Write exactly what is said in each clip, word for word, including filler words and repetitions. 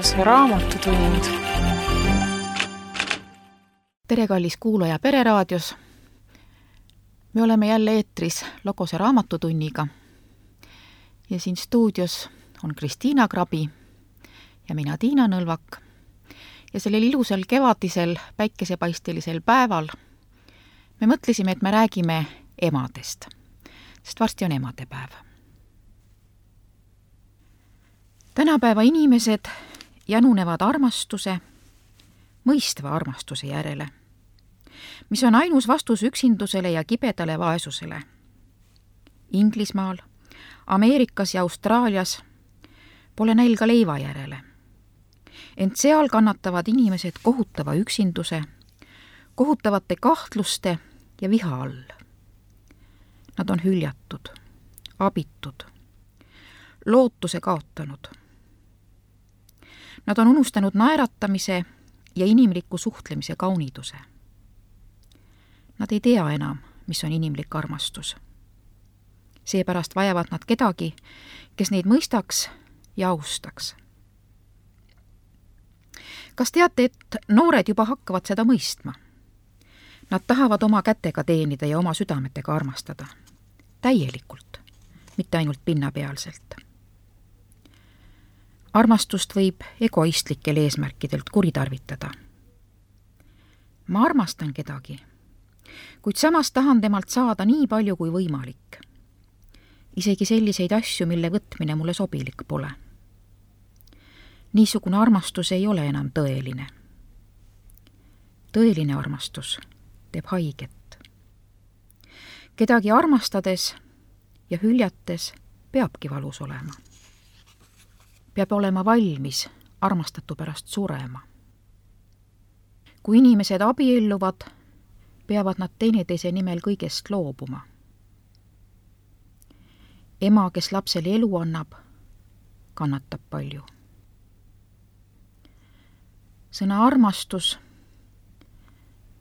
Logose raamatutund. tere, kallis kuulaja Pereraadios. Me oleme jälle eetris Logose raamatutunniga ja siin stuudios on Kristiina Krabi ja mina Tiina Nõlvak. Ja sellel ilusal kevadisel päikesepaistelisel päeval me mõtlesime, et me räägime emadest, sest varsti on emadepäev. Tänapäeva inimesed jänunevad armastuse, mõistva armastuse järele, mis on ainus vastus üksindusele ja kibedale vaesusele. Inglismaal, Ameerikas ja Austraalias pole nälga leiva järele. Ent seal kannatavad inimesed kohutava üksinduse, kohutavate kahtluste ja viha all. Nad on hüljatud, abitud, lootuse kaotanud. Nad on unustanud naeratamise ja inimliku suhtlemise kauniduse. Nad ei tea enam, mis on inimlik armastus. Seepärast vajavad nad kedagi, kes neid mõistaks ja austaks. Kas teate, et noored juba hakkavad seda mõistma? Nad tahavad oma kätega teenida ja oma südametega armastada. Täielikult, mitte ainult pinnapealselt. Armastust võib egoistlikel eesmärkidelt kuritarvitada. Ma armastan kedagi, kuid samas tahan temalt saada nii palju kui võimalik. Isegi selliseid asju, mille võtmine mulle sobilik pole. Niisugune armastus ei ole enam tõeline. Tõeline armastus teeb haiget. Kedagi armastades ja hüljates peabki valus olema. Peab olema valmis armastatu pärast surema. Kui inimesed abielluvad, peavad nad teineteise nimel kõigest loobuma. Ema, kes lapsele elu annab, kannatab palju. Sõna armastus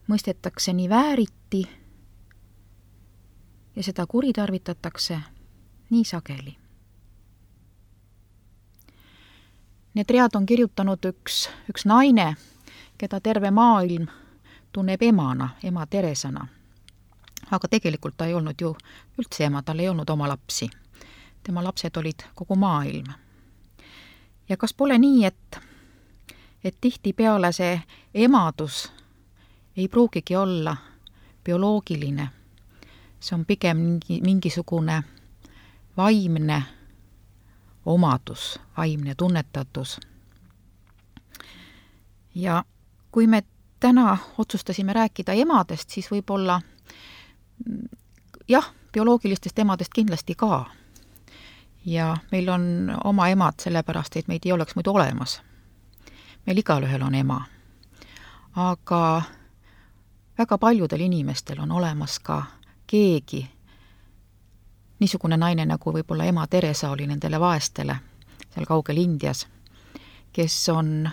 mõistetakse nii vääriti ja seda kuritarvitatakse nii sageli. Need read on kirjutanud üks, üks naine, keda terve maailm tunneb emana, ema Teresana. Aga tegelikult ta ei olnud ju üldse ema, tal ei olnud oma lapsi. Tema lapsed olid kogu maailm. Ja kas pole nii, et, et tihti peale see emadus ei pruugigi olla bioloogiline? See on pigem mingi, mingisugune vaimne omadus, vaimne tunnetatus. Ja kui me täna otsustasime rääkida emadest, siis võib-olla jah, bioloogilistest emadest kindlasti ka. Ja meil on oma emad sellepärast, et meid ei oleks muidu olemas. Meil igalühel on ema. Aga väga paljudel inimestel on olemas ka keegi, niisugune naine, nagu võib-olla ema Teresa oli nendele vaestele seal kaugel Indias, kes on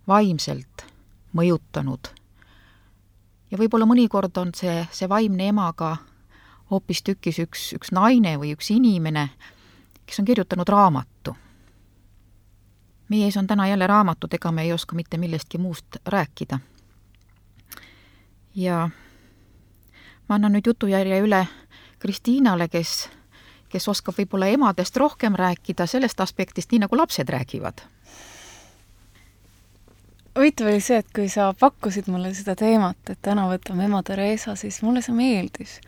vaimselt mõjutanud. Ja võib-olla mõnikord on see, see vaimne ema ka hoopis tükis üks, üks naine või üks inimene, kes on kirjutanud raamatu. Meie ees on täna jälle raamatud, ega me ei oska mitte millestki muust rääkida. Ja ma annan nüüd jutujärje üle Kristiinale, kes, kes oskab võib-olla emadest rohkem rääkida sellest aspektist, nii nagu lapsed räägivad. Huvitav oli see, et kui sa pakkusid mulle seda teemat, et täna võtame ema Teresa, siis mulle see meeldis.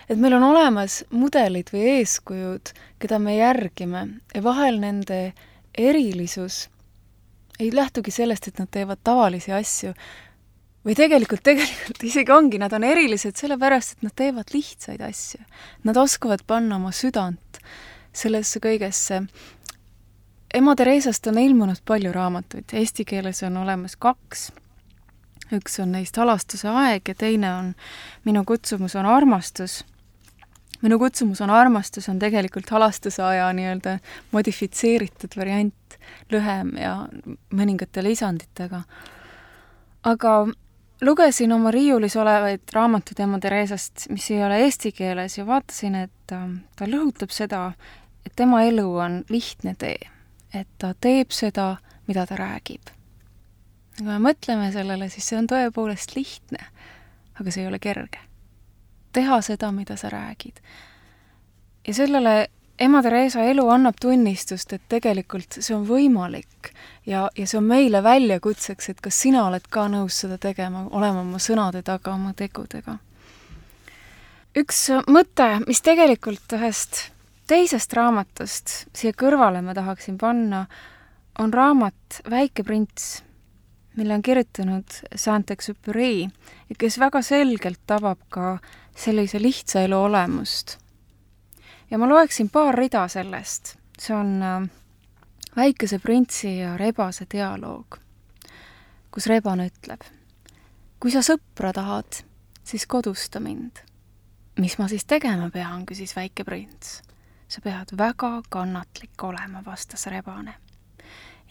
Et meil on olemas mudelid või eeskujud, keda me järgime ja vahel nende erilisus ei lähtugi sellest, et nad teevad tavalisi asju või tegelikult, tegelikult isegi ongi, nad on erilised sellepärast, et nad teevad lihtsaid asju. Nad oskavad panna oma südant sellesse kõigesse. Ema Teresast on ilmunud palju raamatuid. Eesti keeles on olemas kaks. Üks on neist Halastuse aeg ja teine on Minu kutsumus on armastus. Minu kutsumus on armastus on tegelikult Halastuse aja nii-öelda modifitseeritud variant, lühem ja mõningate lisanditega. Aga lugesin oma riiulis olevaid raamatud ema Teresast, mis ei ole eesti keeles ja vaatasin, et ta lõhutab seda, et tema elu on lihtne tee. et ta teeb seda, mida ta räägib. Kui me mõtleme sellele, siis see on tõepoolest lihtne, aga see ei ole kerge. Teha seda, mida sa räägid. Ja sellele ema Theresa elu annab tunnistust, et tegelikult see on võimalik ja, ja see on meile väljakutseks, et kas sina oled ka nõus seda tegema, olema oma sõnade taga, oma tegudega. Üks mõte, mis tegelikult ühest teisest raamatust siia kõrvale ma tahaksin panna, on raamat Väike prints, mille on kirjutanud Saint-Exupéry, kes väga selgelt tabab ka sellise lihtsa elu olemust. Ja ma loeksin paar rida sellest. See on Väikese printsi ja rebase dialoog, kus rebane ütleb: kui sa sõpra tahad, siis kodusta mind. Mis ma siis tegema pean, küsis Väike prints. Sa pead väga kannatlik olema, vastas rebane.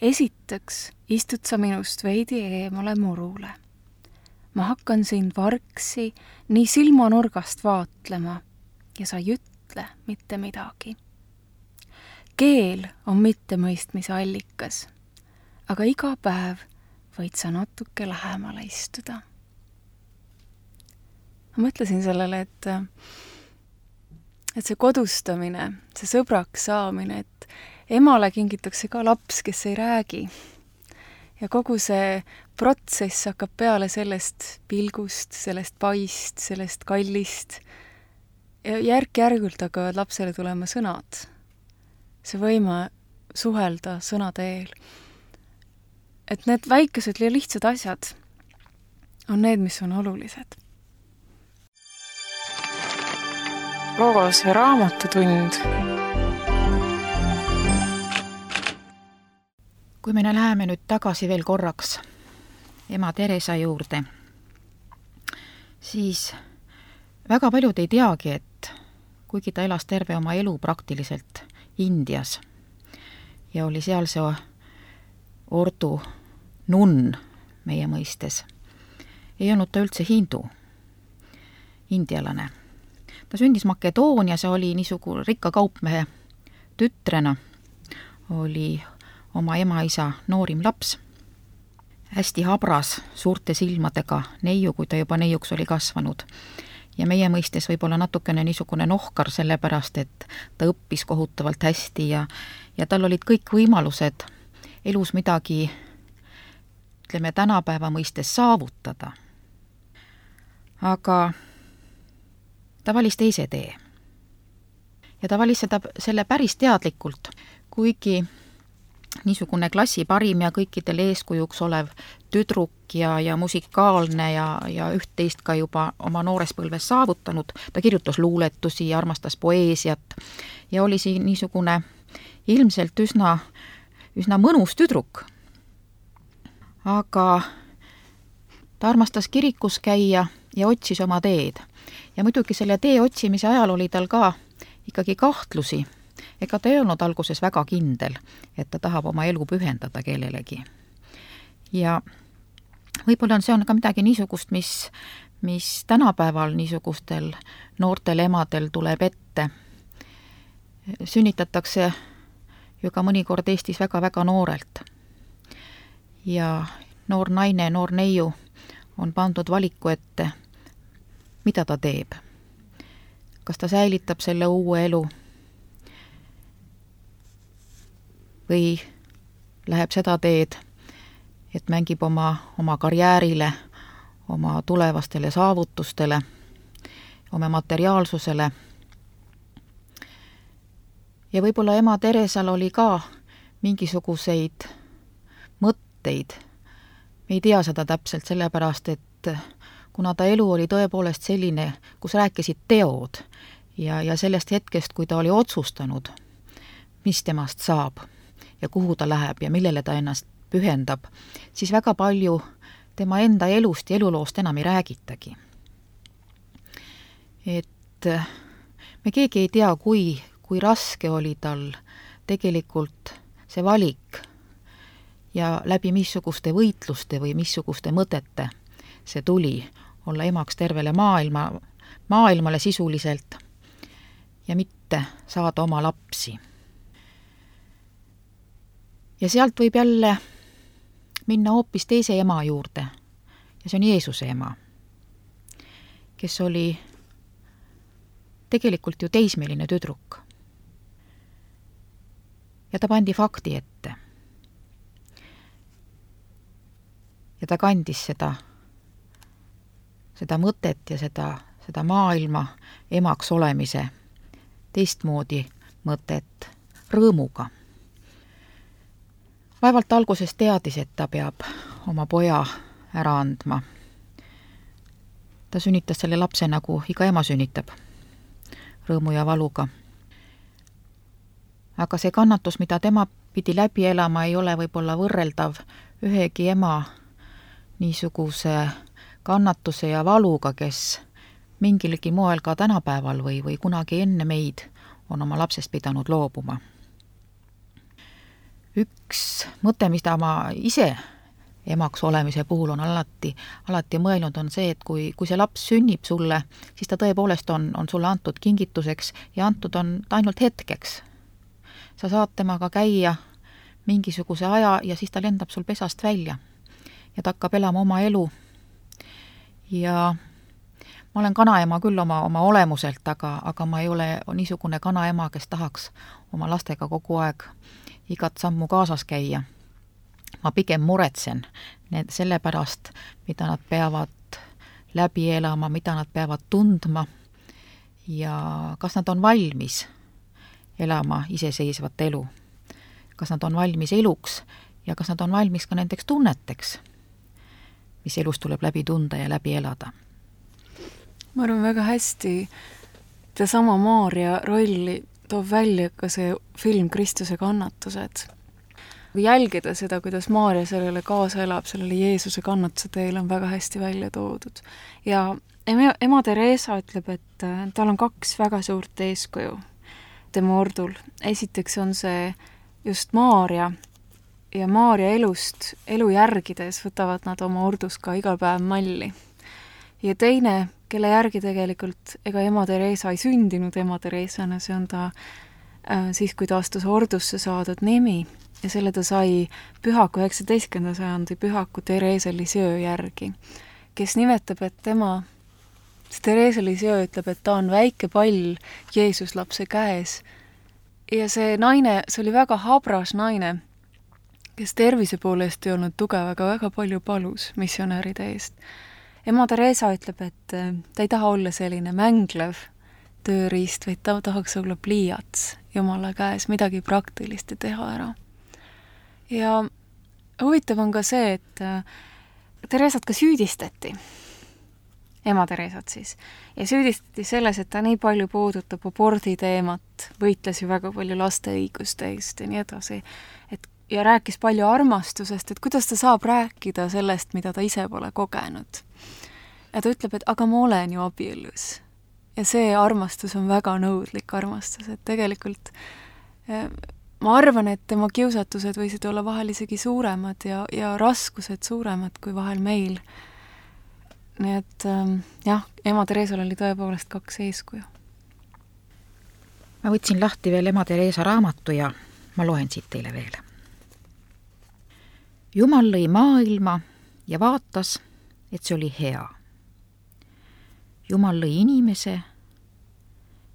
Esiteks istud sa minust veidi eemale murule. Ma hakkan sind vargsi nii silmanurgast vaatlema ja sa ei ütle mitte midagi. Keel on mittemõistmise allikas, aga iga päev võid sa natuke lähemale istuda. Ma mõtlesin sellele, et, et see kodustamine, see sõbraks saamine, et emale kingitakse ka laps, kes ei räägi. Ja kogu see protsess hakkab peale sellest pilgust, sellest paist, sellest kallist. Ja järk-järgult hakkavad lapsele tulema sõnad. See võime suhelda sõna teel. Et need väikesed ja lihtsad asjad on need, mis on olulised. Logos või raamatutund. Kui me läheme nüüd tagasi veel korraks ema Theresa juurde, siis väga paljud ei teagi, et kuigi ta elas terve oma elu praktiliselt Indias ja oli seal see ordu nunn meie mõistes, ei olnud ta üldse hindu, indialane. Ta sündis Makedoonias ja oli niisugune rikka kaupmehe tütrena, oli oma ema-isa noorim laps, hästi habras, suurte silmadega neiu, kui ta juba neiuks oli kasvanud. Ja meie mõistes võib-olla natukene niisugune nohkar sellepärast, et ta õppis kohutavalt hästi ja, ja tal olid kõik võimalused elus midagi, ütleme, tänapäeva mõistes saavutada. Aga ta valis teise tee. Ja ta valis seda, selle päris teadlikult, kuigi niisugune klassi parim ja kõikidel eeskujuks olev tüdruk ja, ja musikaalne ja, ja üht-teist ka juba oma noores põlves saavutanud. Ta kirjutas luuletusi ja armastas poeesiat ja oli siin niisugune ilmselt üsna, üsna mõnus tüdruk. Aga ta armastas kirikus käia ja otsis oma teed. Ja muidugi selle tee otsimise ajal oli tal ka ikkagi kahtlusi. Ega ta ei olnud alguses väga kindel, et ta tahab oma elu pühendada kellelegi. Ja võib-olla on see on ka midagi niisugust, mis, mis tänapäeval niisugustel noortel emadel tuleb ette. Sünnitatakse ju ka mõnikord Eestis väga-väga noorelt. Ja noor naine, noor neiu on pandud valiku ette, mida ta teeb. Kas ta säilitab selle uue elu või läheb seda teed, et mängib oma, oma karjäärile, oma tulevastele saavutustele, oma materiaalsusele. Ja võib-olla ema Theresal oli ka mingisuguseid mõtteid. Me ei tea seda täpselt sellepärast, et kuna ta elu oli tõepoolest selline, kus rääkisid teod ja, ja sellest hetkest, kui ta oli otsustanud, mis temast saab ja kuhu ta läheb ja millele ta ennast pühendab, siis väga palju tema enda elust ja eluloost enam ei räägitagi. Et me keegi ei tea, kui, kui raske oli tal tegelikult see valik ja läbi missuguste võitluste või missuguste mõtete see tuli olla emaks tervele maailma, maailmale sisuliselt ja mitte saada oma lapsi. ja sealt võib jälle minna hoopis teise ema juurde ja see on Jeesuse ema, kes oli tegelikult ju teismeline tüdruk. Ja ta pandi fakti ette. Ja ta kandis seda, seda mõtet ja seda, seda maailma emaks olemise teistmoodi mõtet rõõmuga. Vaevalt alguses teadis, et ta peab oma poja ära andma. Ta sünnitas selle lapse nagu iga ema sünnitab, rõõmu ja valuga. Aga see kannatus, mida tema pidi läbi elama, ei ole võib-olla võrreldav ühegi ema niisuguse kannatuse ja valuga, kes mingilgi moel ka tänapäeval või, või kunagi enne meid on oma lapsest pidanud loobuma. Üks mõte, mida ma ise emaks olemise puhul on alati, alati mõelnud, on see, et kui, kui see laps sünnib sulle, siis ta tõepoolest on, on sulle antud kingituseks ja antud on ainult hetkeks. Sa saad temaga käia mingisuguse aja ja siis ta lendab sul pesast välja ja ta hakkab elama oma elu. Ja ma olen kanaema küll oma, oma olemuselt, aga, aga ma ei ole niisugune kanaema, kes tahaks oma lastega kogu aeg igat sammu kaasas käia. Ma pigem muretsen need selle pärast, mida nad peavad läbi elama, mida nad peavad tundma ja kas nad on valmis elama iseseisvat elu. Kas nad on valmis eluks ja kas nad on valmis ka nendeks tunneteks, mis elus tuleb läbi tunda ja läbi elada. Ma arvan väga hästi, et sama Maarja rolli toob välja ka see film Kristuse kannatused. Kui jälgida seda, kuidas Maarja sellele kaasa elab, sellele Jeesuse kannatuse teel on väga hästi välja toodud. Ja ema, ema Teresa ütleb, et tal on kaks väga suurt eeskuju tema ordul. Esiteks on see just Maarja ja Maarja elust, elu järgides võtavad nad oma ordus ka igal päev malli. Ja teine, kelle järgi tegelikult ega ema Teresa ei sündinud ema Teresana, see on ta äh, siis, kui ta astus ordusse saadud nimi ja selle ta sai pühaku üheksateistkümnenda sajandi pühaku Therese Lisieux järgi, kes nimetab, et tema, Therese Lisieux ütleb, et ta on väike pall Jeesus lapse käes ja see naine, see oli väga habras naine, kes tervise poolest ei olnud tugev, aga väga palju palus missionäride eest. Ema Teresa ütleb, et ta ei taha olla selline mänglev tööriist, vaid ta tahaks olla pliiats Jumala käes, midagi praktilist ja teha ära. Ja huvitav on ka see, et Teresat ka süüdistati, ema Teresat siis, ja süüdistati selles, et ta nii palju puudutab abordi teemat, võitles ju väga palju laste õiguste eest ja nii edasi, et ja rääkis palju armastusest, et kuidas ta saab rääkida sellest, mida ta ise pole kogenud. Ja ta ütleb, et aga ma olen ju abielus. Ja see armastus on väga nõudlik armastus, et tegelikult ma arvan, et tema kiusatused võisid olla vahel isegi suuremad ja, ja raskused suuremad kui vahel meil. Nii et jah, ema Teresal oli tõepoolest kaks eeskuju. Ma võtsin lahti veel ema Teresa raamatu ja ma loen siit teile veel. Jumal lõi maailma ja vaatas, et see oli hea. Jumal lõi inimese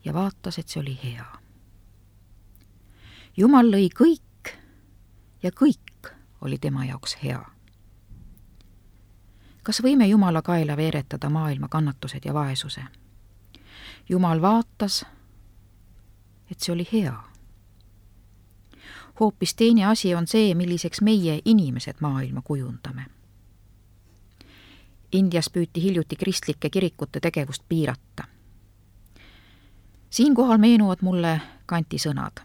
ja vaatas, et see oli hea. Jumal lõi kõik ja kõik oli tema jaoks hea. Kas võime Jumala kaela veeretada maailma kannatused ja vaesuse? Jumal vaatas, et see oli hea. Hoopis teine asi on see, milliseks meie inimesed maailma kujundame. Indias püüti hiljuti kristlike kirikute tegevust piirata. Siinkohal meenuvad mulle Kanti sõnad.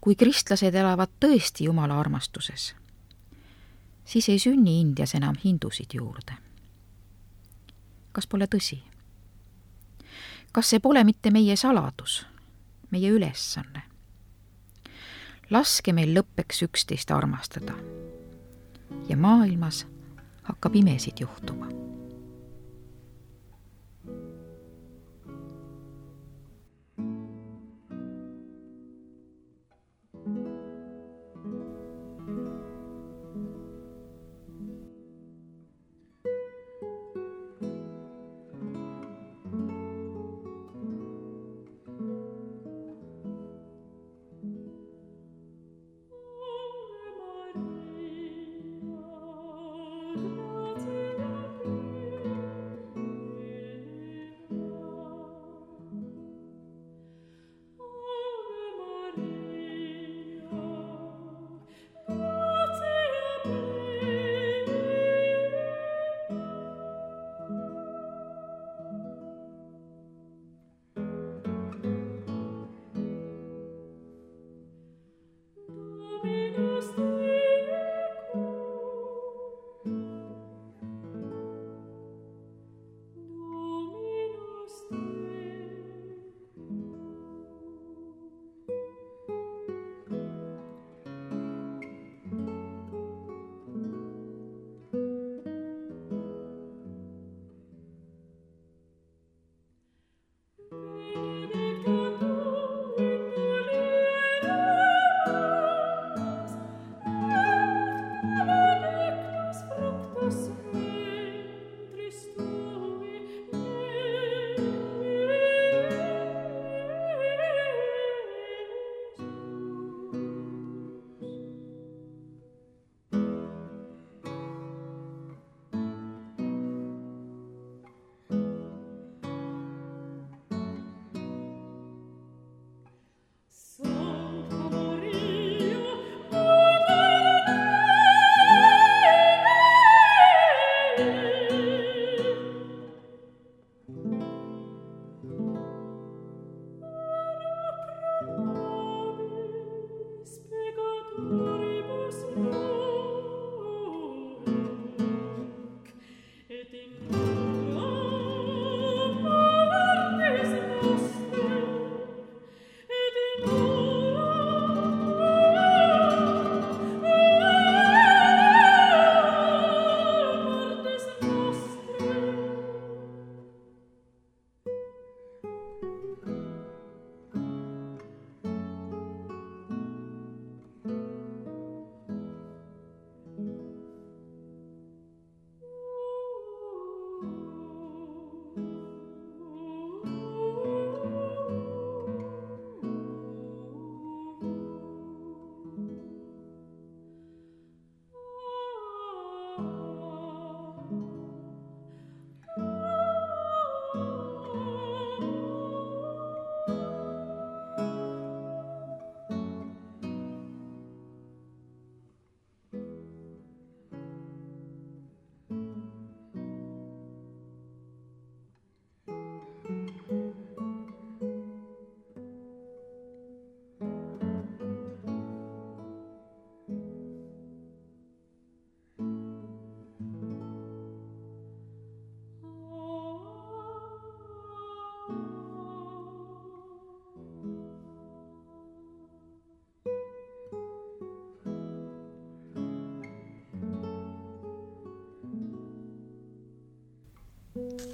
Kui kristlased elavad tõesti Jumala armastuses, siis ei sünni Indias enam hindusid juurde. Kas pole tõsi? Kas see pole mitte meie saladus, meie ülesanne? Laske meil lõppeks üksteist armastada ja maailmas hakkab imesid juhtuma.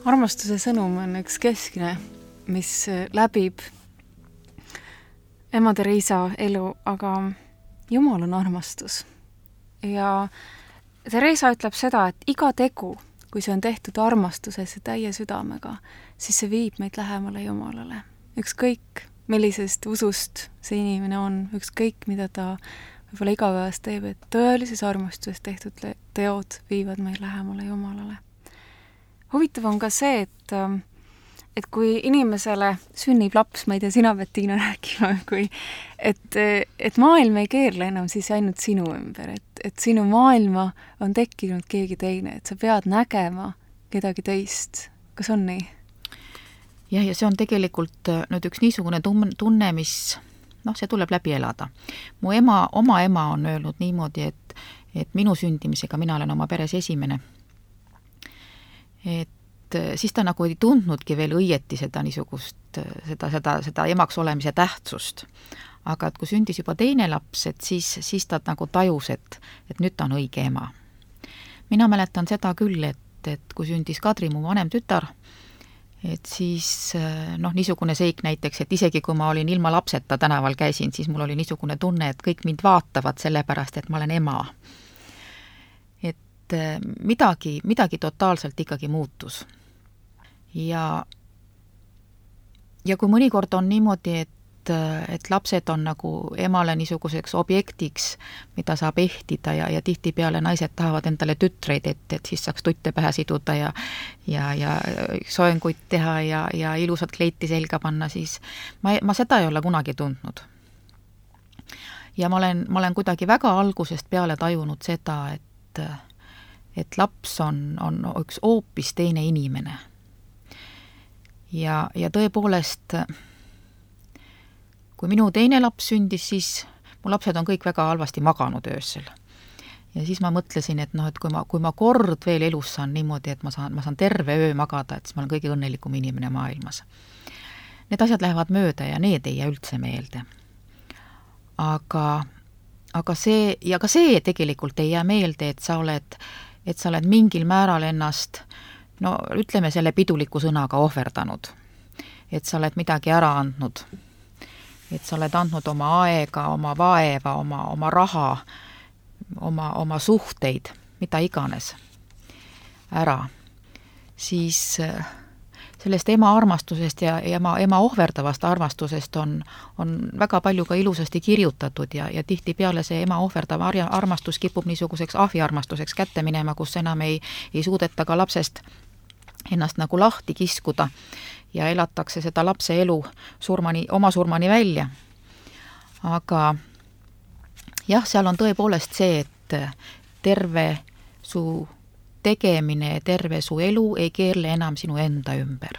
Armastuse sõnum on üks keskne, mis läbib ema Theresa elu, aga Jumal on armastus. Ja Theresa ütleb seda, et iga tegu, kui see on tehtud armastuses ja täie südamega, siis see viib meid lähemale Jumalale. Ükskõik, millisest usust see inimene on, ükskõik, mida ta võib-olla igapäevast teeb, et tõelises armastuses tehtud teod viivad meid lähemale Jumalale. Huvitav on ka see, et, et kui inimesele sünnib laps, ma ei tea, sina pead Tiina rääkima, kui, et, et maailm ei keerle enam siis ainult sinu ümber, et, et sinu maailma on tekkinud keegi teine, et sa pead nägema kedagi teist. Kas on nii? Jah, ja see on tegelikult nüüd üks niisugune tunne, mis, noh, see tuleb läbi elada. Mu ema, oma ema on öelnud niimoodi, et, et minu sündimisega mina olen oma peres esimene. Et siis ta nagu ei tundnudki veel õieti seda niisugust, seda, seda, seda emaks olemise tähtsust. Aga et kui sündis juba teine laps, et siis, siis ta nagu tajus, et, et nüüd ta on õige ema. Mina mäletan seda küll, et, et kui sündis Kadri, mu vanem tütar, et siis noh, niisugune seik näiteks, et isegi kui ma olin ilma lapseta tänaval käisin, siis mul oli niisugune tunne, et kõik mind vaatavad sellepärast, et ma olen ema. midagi, midagi totaalselt ikkagi muutus. Ja, ja kui mõnikord on niimoodi, et, et lapsed on nagu emale niisuguseks objektiks, mida saab ehtida ja, ja tihtipeale naised tahavad endale tütreid, et, et siis saaks tutte pähe siduda ja, ja, ja soenguid teha ja, ja ilusat kleiti selga panna, siis ma, ma seda ei ole kunagi tundnud. Ja ma olen, ma olen kuidagi väga algusest peale tajunud seda, et et laps on, on üks hoopis teine inimene. Ja, ja tõepoolest, kui minu teine laps sündis, siis mu lapsed on kõik väga halvasti maganud öösel. Ja siis ma mõtlesin, et noh, et kui ma, kui ma kord veel elus saan niimoodi, et ma saan, ma saan terve öö magada, et siis ma olen kõige õnnelikum inimene maailmas. Need asjad lähevad mööda ja need ei jää üldse meelde. Aga, aga see, ja ka see tegelikult ei jää meelde, et sa oled et sa oled mingil määral ennast, no ütleme selle piduliku sõnaga ohverdanud. Et sa oled midagi ära andnud. Et sa oled andnud oma aega, oma vaeva, oma, oma raha, oma, oma suhteid, mida iganes ära. Siis sellest ema armastusest ja ema, ema ohverdavast armastusest on, on väga palju ka ilusasti kirjutatud ja, ja tihti peale see ema ohverdav armastus kipub niisuguseks ahviarmastuseks kätte minema, kus enam ei, ei suudeta ka lapsest ennast nagu lahti kiskuda ja elatakse seda lapse elu surmani, oma surmani välja. Aga jah, seal on tõepoolest see, et terve su tegemine, terve su elu ei keerle enam sinu enda ümber.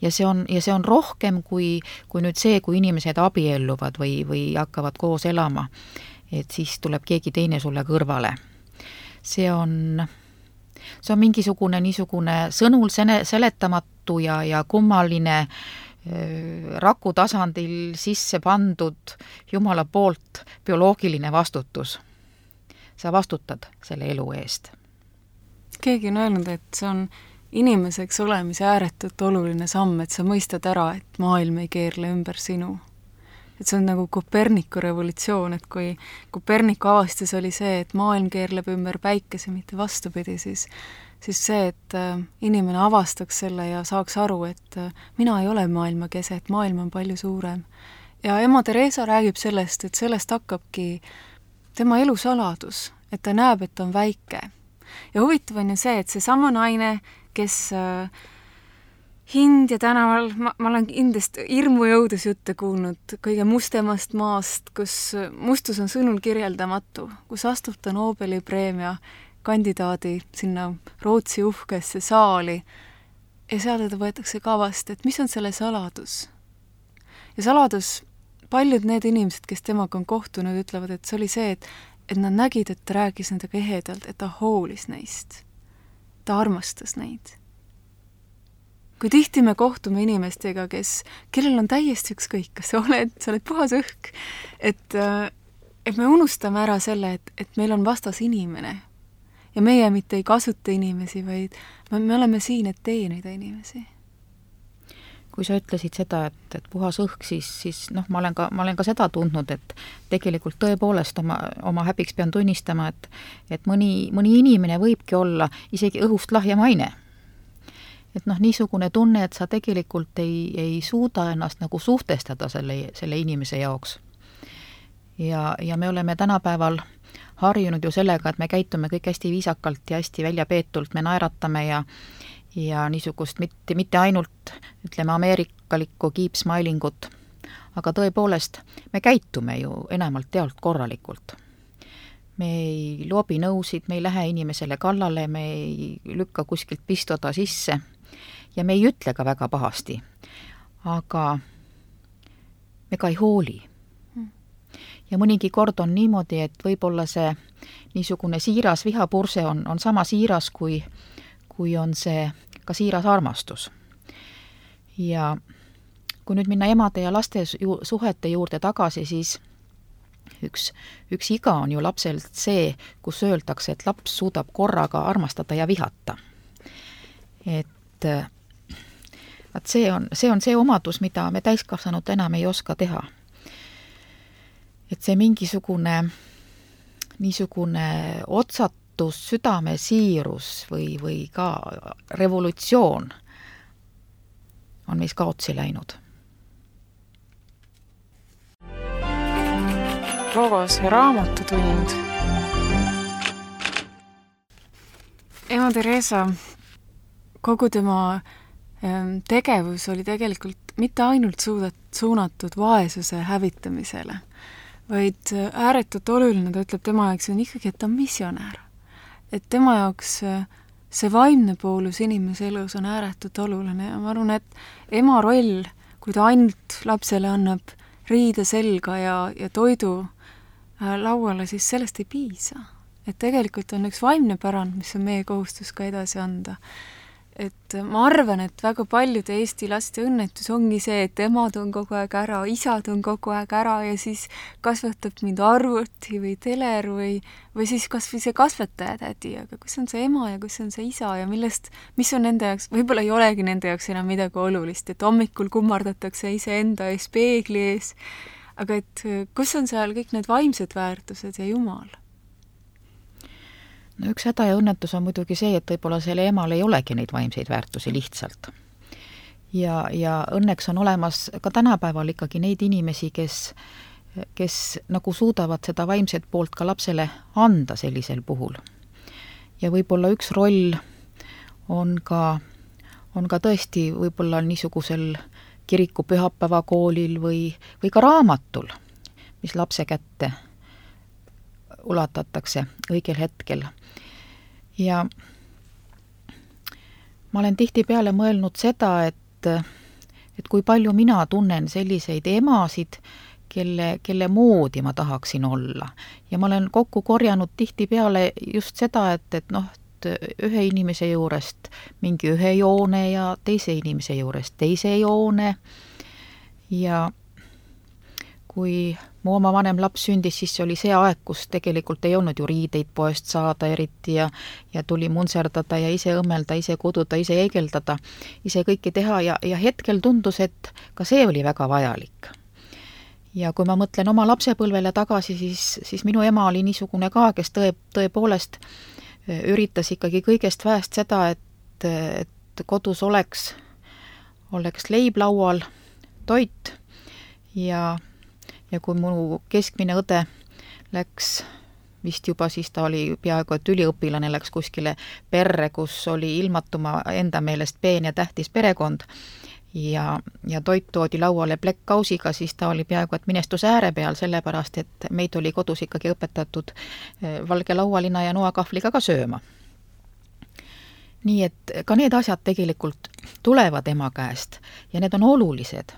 Ja see on, ja see on rohkem kui, kui nüüd see, kui inimesed abielluvad või, või hakkavad koos elama, et siis tuleb keegi teine sulle kõrvale. See on, see on mingisugune niisugune sõnul seletamatu ja, ja kummaline raku tasandil sisse pandud Jumala poolt bioloogiline vastutus. Sa vastutad selle elu eest. Keegi on öelnud, et see on inimeseks olemise ääretult oluline samm, et sa mõistad ära, et maailm ei keerle ümber sinu. Et see on nagu Koperniku revolutsioon, et kui Koperniku avastus oli see, et maailm keerleb ümber päikese, mitte vastupidi, siis, siis see, et inimene avastaks selle ja saaks aru, et mina ei ole maailma kese, et maailm on palju suurem. Ja ema Theresa räägib sellest, et sellest hakkabki tema elusaladus, et ta näeb, et on väike. ja huvitav on ju see, et see sama naine, kes äh, hind ja tänaval, ma, ma olen kindlasti hirmujõudus jutte kuulnud kõige mustemast maast, kus mustus on sõnul kirjeldamatu, kus astub ta Nobeli preemia kandidaadi sinna Rootsi uhkesse saali ja seal teda võetakse kavast, et mis on selle saladus. Ja saladus, paljud need inimesed, kes temaga on kohtunud, ütlevad, et see oli see, et, et nad nägid, et ta rääkis nendega ehedalt, et ta hoolis neist. Ta armastas neid. Kui tihti me kohtume inimestega, kes, kellel on täiesti ükskõik, kas sa oled, sa oled puhas õhk, et, et me unustame ära selle, et, et meil on vastas inimene ja meie mitte ei kasuta inimesi, vaid me, me oleme siin, et teenida inimesi. Kui sa ütlesid seda, et, et puhas õhk, siis, siis noh, ma olen ka, ma olen ka seda tundnud, et tegelikult tõepoolest oma, oma häbiks pean tunnistama, et, et mõni, mõni inimene võibki olla isegi õhust lahja maine. Et noh, niisugune tunne, et sa tegelikult ei, ei suuda ennast nagu suhtestada selle, selle inimese jaoks. Ja, ja me oleme tänapäeval harjunud ju sellega, et me käitume kõik hästi viisakalt ja hästi väljapeetult, me naeratame ja, ja niisugust mitte, mitte ainult, ütleme, ameerikalikku keep-smilingut, aga tõepoolest me käitume ju enamalt tealt korralikult. Me ei loobi nõusid, me ei lähe inimesele kallale, me ei lükka kuskilt pistoda sisse ja me ei ütle ka väga pahasti, aga me ka ei hooli. Ja mõnigi kord on niimoodi, et võib-olla see niisugune siiras vihapurse on, on sama siiras, kui, kui on see ka siiras armastus. Ja kui nüüd minna emade ja laste ju, suhete juurde tagasi, siis üks, üks iga on ju lapselt see, kus öeldakse, et laps suudab korraga armastada ja vihata. Et et see on, see on see omadus, mida me täiskasvanud enam ei oska teha. Et see mingisugune niisugune otsatus, südamesiirus või, või ka revolutsioon on meis kaotsi läinud. Logos ja raamatutund. Ema Teresa, kogu tema tegevus oli tegelikult mitte ainult suudat, suunatud vaesuse hävitamisele, vaid ääretult oluline, ta ütleb tema jaoks on ikkagi, et ta on missionär. Et tema jaoks see vaimne poolus inimese elus on ääretult oluline ja ma arvan, et ema roll, kui ta ainult lapsele annab riide selga ja, ja toidu lauale, siis sellest ei piisa. Et tegelikult on üks vaimne pärand, mis on meie kohustus ka edasi anda. Et ma arvan, et väga paljude Eesti laste õnnetus ongi see, et emad on kogu aeg ära, isad on kogu aeg ära ja siis kasvatab mind arvuti või teler või, või siis kas või see kasvataja tädi, aga kus on see ema ja kus on see isa ja millest, mis on nende jaoks, võib-olla ei olegi nende jaoks enam midagi olulist, et hommikul kummardatakse iseenda ees peegli ees, aga et kus on seal kõik need vaimsed väärtused ja Jumal? No üks häda ja õnnetus on muidugi see, et võib-olla selle emal ei olegi neid vaimseid väärtusi lihtsalt. Ja, ja õnneks on olemas ka tänapäeval ikkagi neid inimesi, kes, kes nagu suudavad seda vaimset poolt ka lapsele anda sellisel puhul. Ja võib-olla üks roll on ka, on ka tõesti võib-olla niisugusel kiriku pühapäevakoolil või, või ka raamatul, mis lapse kätte ulatatakse õigel hetkel. Ja ma olen tihtipeale mõelnud seda, et, et kui palju mina tunnen selliseid emasid, kelle, kelle moodi ma tahaksin olla. Ja ma olen kokku korjanud tihtipeale just seda, et, et noh, ühe inimese juurest mingi ühe joone ja teise inimese juurest teise joone. Ja kui mu oma vanem laps sündis, siis oli see aeg, kus tegelikult ei olnud ju riideid poest saada eriti ja, ja tuli munserdada ja ise õmmelda, ise koduda, ise egeldada, ise kõike teha ja, ja hetkel tundus, et ka see oli väga vajalik. Ja kui ma mõtlen oma lapsepõlvele tagasi, siis, siis minu ema oli niisugune ka, kes tõe, tõepoolest üritas ikkagi kõigest väest seda, et, et kodus oleks, oleks leib laual, toit ja ja kui mu keskmine õde läks vist juba siis ta oli peaaegu, et üliõpilane läks kuskile perre, kus oli ilmatuma enda meelest peen ja tähtis perekond ja, ja toit toodi lauale plekkkausiga, siis ta oli peaaegu, et minestuse ääre peal, sellepärast et meid oli kodus ikkagi õpetatud valge laualina ja noakahvliga ka sööma. Nii et ka need asjad tegelikult tulevad ema käest ja need on olulised.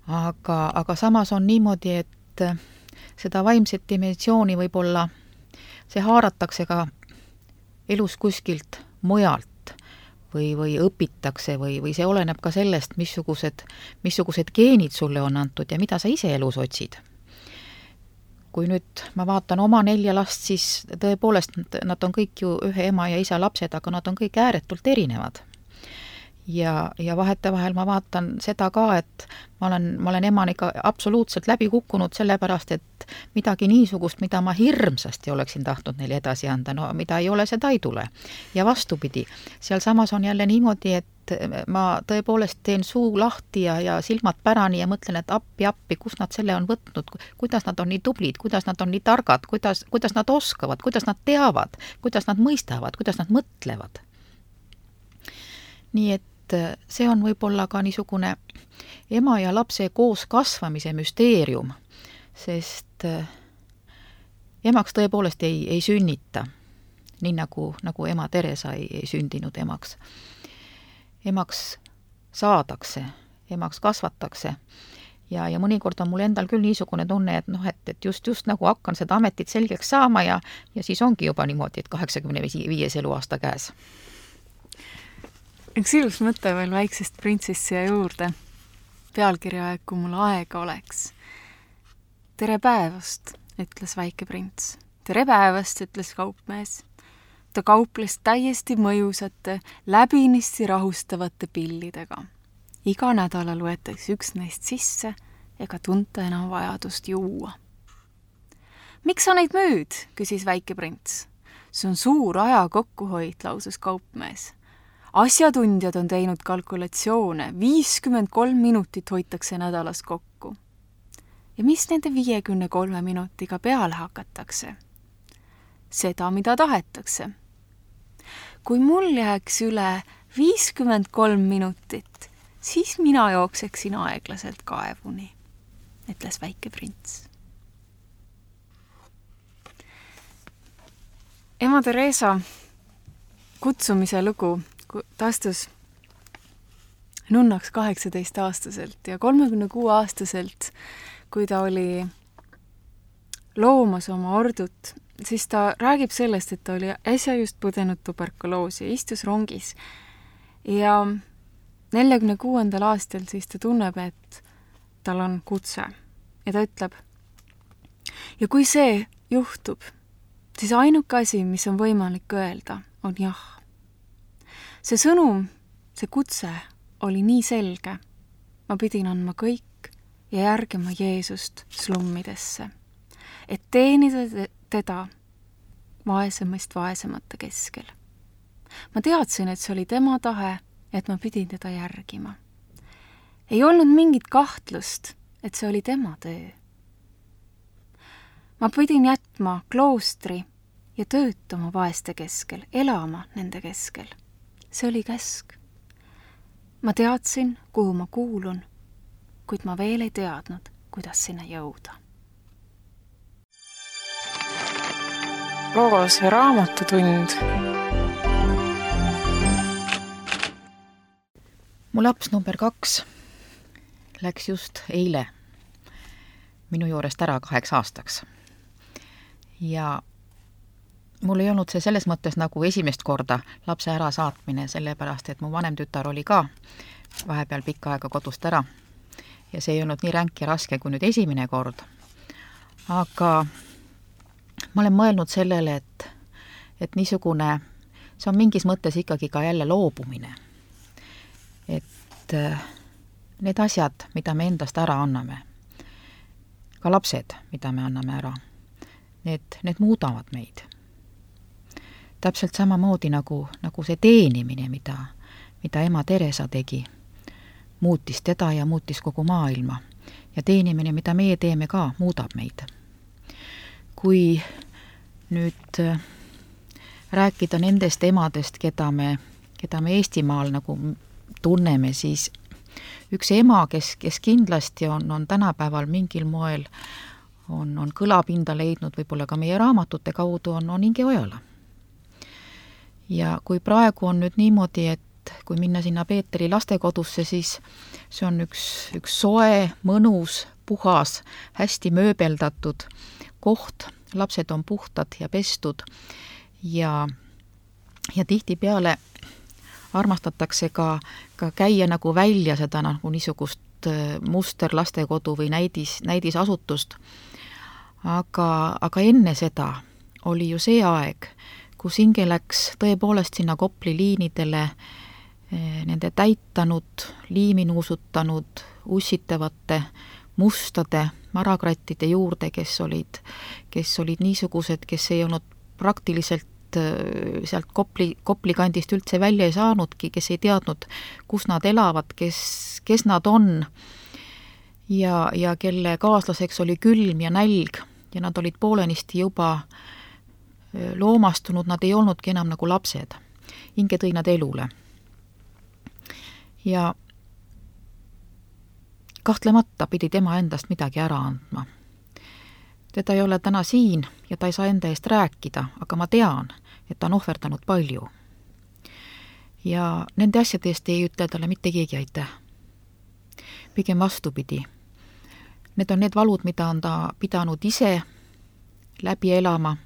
Aga, aga samas on niimoodi, et seda vaimset dimensiooni võib-olla see haaratakse ka elus kuskilt mujalt või, või õpitakse või, või see oleneb ka sellest, missugused, missugused geenid sulle on antud ja mida sa ise elus otsid. Kui nüüd ma vaatan oma nelja last, siis tõepoolest nad on kõik ju ühe ema ja isa lapsed, aga nad on kõik ääretult erinevad. Ja, ja vahetevahel ma vaatan seda ka, et ma olen, ma olen emana ikka absoluutselt läbi kukkunud sellepärast, et midagi niisugust, mida ma hirmsasti oleksin tahtnud neile edasi anda, no mida ei ole, seda ei tule. Ja vastupidi, seal samas on jälle niimoodi, et ma tõepoolest teen suu lahti ja, ja silmad pärani ja mõtlen, et appi, appi, kus nad selle on võtnud, kuidas nad on nii tublid, kuidas nad on nii targad, kuidas, kuidas nad oskavad, kuidas nad teavad, kuidas nad mõistavad, kuidas nad mõtlevad. Nii et see on võib-olla ka niisugune ema ja lapse koos kasvamise müsteerium, sest emaks tõepoolest ei, ei sünnita, nii nagu, nagu ema Teresa ei, ei sündinud emaks. Emaks saadakse, emaks kasvatakse ja, ja mõnikord on mul endal küll niisugune tunne, et noh, et, et just, just nagu hakkan seda ametit selgeks saama ja, ja siis ongi juba niimoodi, et kaheksakümne viies eluaasta käes. Üks ilus mõte veel väiksest printsist siia juurde. Pealkirja aeg, kui mul aega oleks. Tere päevast, ütles väike prints. Tere päevast, ütles kaupmees. Ta kauples täiesti mõjusate, läbinisti rahustavate pillidega. Iga nädala loetakse üks neist sisse ega tunta enam vajadust juua. Miks sa neid müüd, küsis väike prints. See on suur aja kokkuhoid, lausus kaupmees. Asjatundjad on teinud kalkulatsioone, viiskümmend kolm minutit hoitakse nädalas kokku. Ja mis nende viiekümne kolme minutiga peale hakatakse? Seda, mida tahetakse. Kui mul jääks üle viiskümmend kolm minutit, siis mina jookseksin aeglaselt kaevuni, ütles väike prints. Ema Teresa kutsumise lugu ta astus nunnaks kaheksateist aastaselt ja kolmekümne kuue aastaselt, kui ta oli loomas oma ordut, siis ta räägib sellest, et ta oli äsja just põdenud tuberkuloosi ja istus rongis. Ja neljakümne kuuendal aastal siis ta tunneb, et tal on kutse ja ta ütleb, ja kui see juhtub, siis ainuke asi, mis on võimalik öelda, on jah. See sõnum, see kutse oli nii selge. Ma pidin andma kõik ja järgima Jeesust slummidesse, et teenida teda vaesemast vaesemate keskel. Ma teadsin, et see oli tema tahe, et ma pidin teda järgima. Ei olnud mingit kahtlust, et see oli tema töö. Ma pidin jätma kloostri ja töötama vaeste keskel, elama nende keskel. See oli käsk. Ma teadsin, kuhu ma kuulun, kuid ma veel ei teadnud, kuidas sinna jõuda. Loos või raamatutund. Mu laps number kaks läks just eile minu juurest ära kaheks aastaks. Ja mul ei olnud see selles mõttes nagu esimest korda lapse ära saatmine, sellepärast, et mu vanem tütar oli ka vahepeal pikka aega kodust ära. Ja see ei olnud nii ränk ja raske kui nüüd esimene kord. Aga ma olen mõelnud sellele, et, et niisugune, see on mingis mõttes ikkagi ka jälle loobumine. Et need asjad, mida me endast ära anname, ka lapsed, mida me anname ära, need, need muudavad meid. Täpselt samamoodi nagu, nagu see teenimine, mida, mida ema Teresa tegi, muutis teda ja muutis kogu maailma. Ja teenimine, mida meie teeme ka, muudab meid. Kui nüüd rääkida nendest emadest, keda me, keda me Eestimaal nagu tunneme, siis üks ema, kes, kes kindlasti on, on tänapäeval mingil moel on, on kõlapinda leidnud, võib-olla ka meie raamatute kaudu, on, on Inge Ojala. Ja kui praegu on nüüd niimoodi, et kui minna sinna Peeteri lastekodusse, siis see on üks, üks soe, mõnus, puhas, hästi mööbeldatud koht, lapsed on puhtad ja pestud ja, ja tihtipeale armastatakse ka, ka käia nagu välja seda nagu niisugust musterlastekodu või näidis, näidisasutust. Aga, aga enne seda oli ju see aeg, kus Inge läks tõepoolest sinna Kopli liinidele nende täitanud, liimi nuusutanud, ussitavate, mustade marakrattide juurde, kes olid, kes olid niisugused, kes ei olnud praktiliselt sealt Kopli, Kopli kandist üldse välja ei saanudki, kes ei teadnud, kus nad elavad, kes, kes nad on ja, ja kelle kaaslaseks oli külm ja nälg ja nad olid poolenisti juba loomastunud, nad ei olnudki enam nagu lapsed. Inge tõi nad elule. Ja kahtlemata pidi tema endast midagi ära andma. Teda ei ole täna siin ja ta ei saa enda eest rääkida, aga ma tean, et ta on ohverdanud palju. Ja nende asjade eest ei ütle talle mitte keegi aitäh. Pigem vastupidi. Need on need valud, mida on ta pidanud ise läbi elama.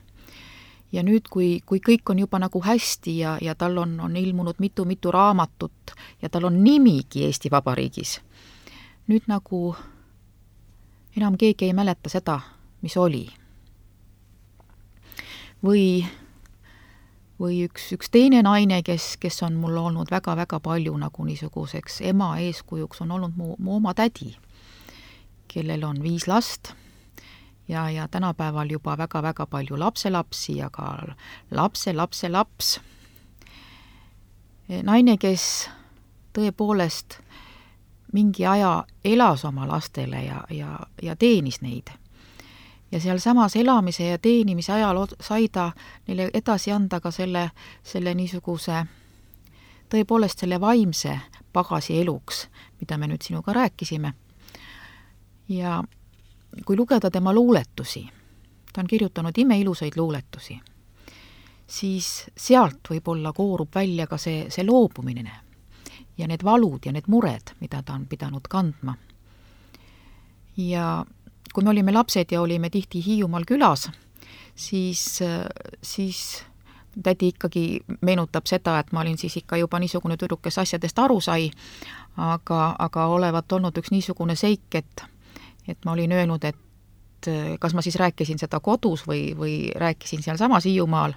Ja nüüd, kui, kui kõik on juba nagu hästi ja, ja tal on, on ilmunud mitu-mitu raamatut ja tal on nimigi Eesti Vabariigis, nüüd nagu enam keegi ei mäleta seda, mis oli. Või, või üks, üks teine naine, kes, kes on mul olnud väga-väga palju nagu niisuguseks ema eeskujuks, on olnud mu, mu oma tädi, kellel on viis last ja, ja tänapäeval juba väga-väga palju lapselapsi ja ka lapse, lapse, laps. Naine, kes tõepoolest mingi aja elas oma lastele ja, ja, ja teenis neid. Ja seal samas elamise ja teenimise ajal sai ta neile edasi anda ka selle, selle niisuguse, tõepoolest selle vaimse pagasi eluks, mida me nüüd sinuga rääkisime. Ja kui lugeda tema luuletusi, ta on kirjutanud imeilusaid luuletusi, siis sealt võib-olla koorub välja ka see, see loobumine ja need valud ja need mured, mida ta on pidanud kandma. Ja kui me olime lapsed ja olime tihti Hiiumaal külas, siis, siis tädi ikkagi meenutab seda, et ma olin siis ikka juba niisugune tüdruk, kes asjadest aru sai, aga, aga olevat olnud üks niisugune seik, et, et ma olin öelnud, et kas ma siis rääkisin seda kodus või, või rääkisin seal samas Hiiumaal,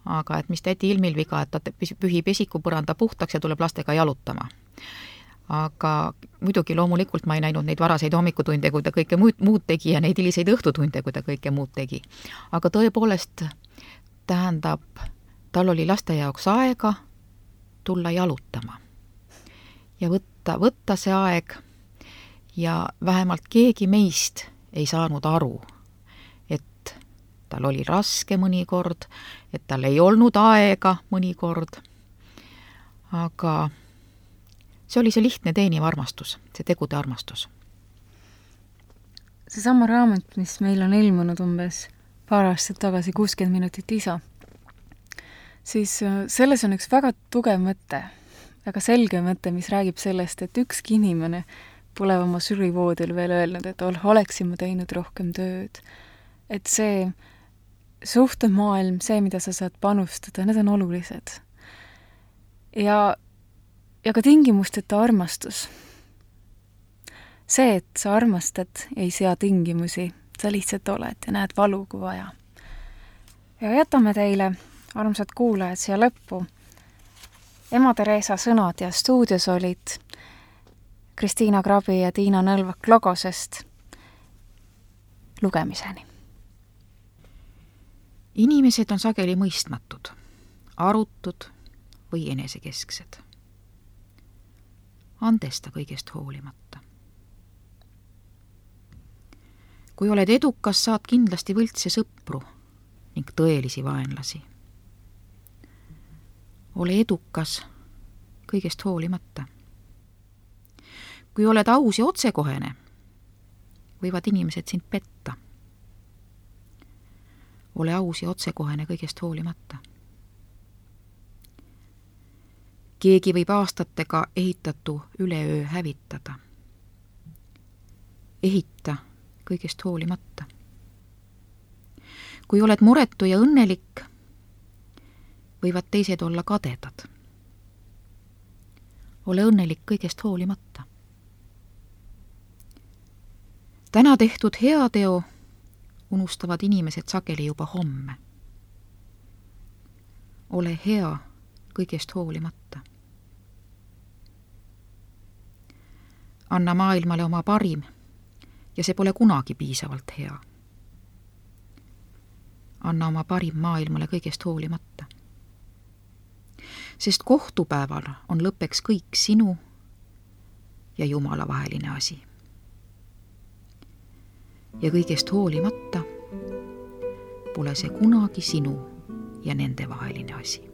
aga et mis tädi ilmil viga, et ta pühib esikupõranda puhtaks ja tuleb lastega jalutama. Aga muidugi loomulikult ma ei näinud neid varaseid hommikutunde, kui ta kõike muud, muud tegi ja neid hiliseid õhtutunde, kui ta kõike muud tegi. Aga tõepoolest tähendab, tal oli laste jaoks aega tulla jalutama ja võtta, võtta see aeg ja vähemalt keegi meist ei saanud aru, et tal oli raske mõnikord, et tal ei olnud aega mõnikord, aga see oli see lihtne teeniv armastus, see tegude armastus. See sama raamat, mis meil on ilmunud umbes paar aastat tagasi, kuuskümmend minutit isa, siis selles on üks väga tugev mõte, väga selge mõte, mis räägib sellest, et ükski inimene pole oma surivoodil veel öelnud, et oleksin ma teinud rohkem tööd. Et see suhtemaailm, see, mida sa saad panustada, need on olulised. Ja Ja ka tingimusteta armastus. See, et sa armastad, ei sea tingimusi. Sa lihtsalt oled ja näed valu kui vaja. Ja jätame teile, armsad kuulajad, siia lõppu ema Theresa sõnad ja stuudios olid Kristiina Krabi ja Tiina Nõlvak Logosest. Lugemiseni. Inimesed on sageli mõistmatud, arutud või enesekesksed. Andesta kõigest hoolimata. Kui oled edukas, saad kindlasti võltse sõpru ning tõelisi vaenlasi. Ole edukas kõigest hoolimata. Kui oled aus ja otsekohene, võivad inimesed sind petta. Ole aus ja otsekohene kõigest hoolimata. Keegi võib aastatega ehitatu üleöö hävitada. Ehita kõigest hoolimata. Kui oled muretu ja õnnelik, võivad teised olla kadedad. Ole õnnelik kõigest hoolimata. Täna tehtud heateo unustavad inimesed sageli juba homme. Ole hea kõigest hoolimata. Anna maailmale oma parim ja see pole kunagi piisavalt hea. Anna oma parim maailmale kõigest hoolimata. Sest kohtupäeval on lõppeks kõik sinu ja Jumala vaheline asi. Ja kõigest hoolimata pole see kunagi sinu ja nende vaheline asi.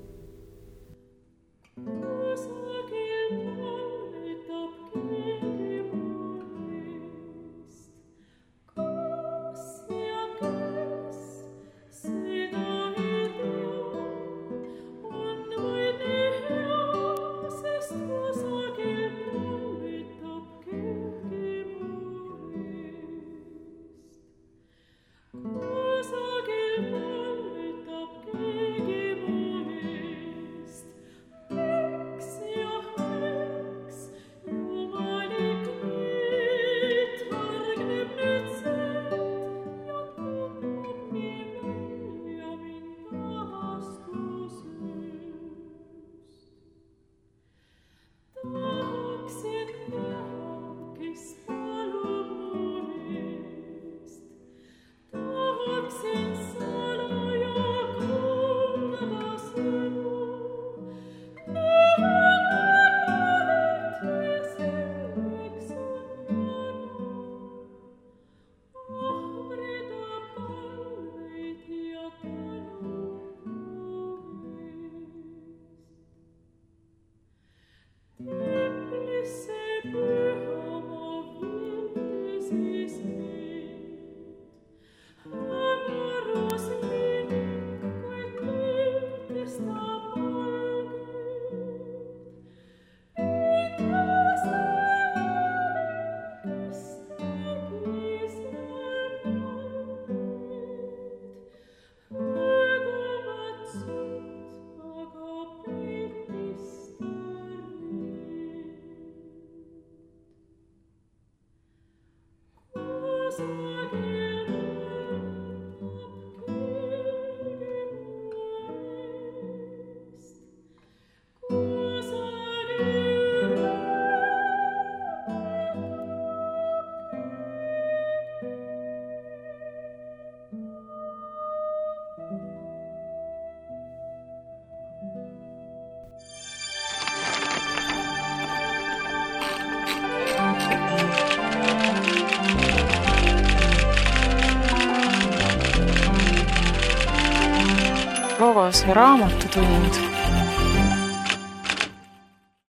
Logos raamatutund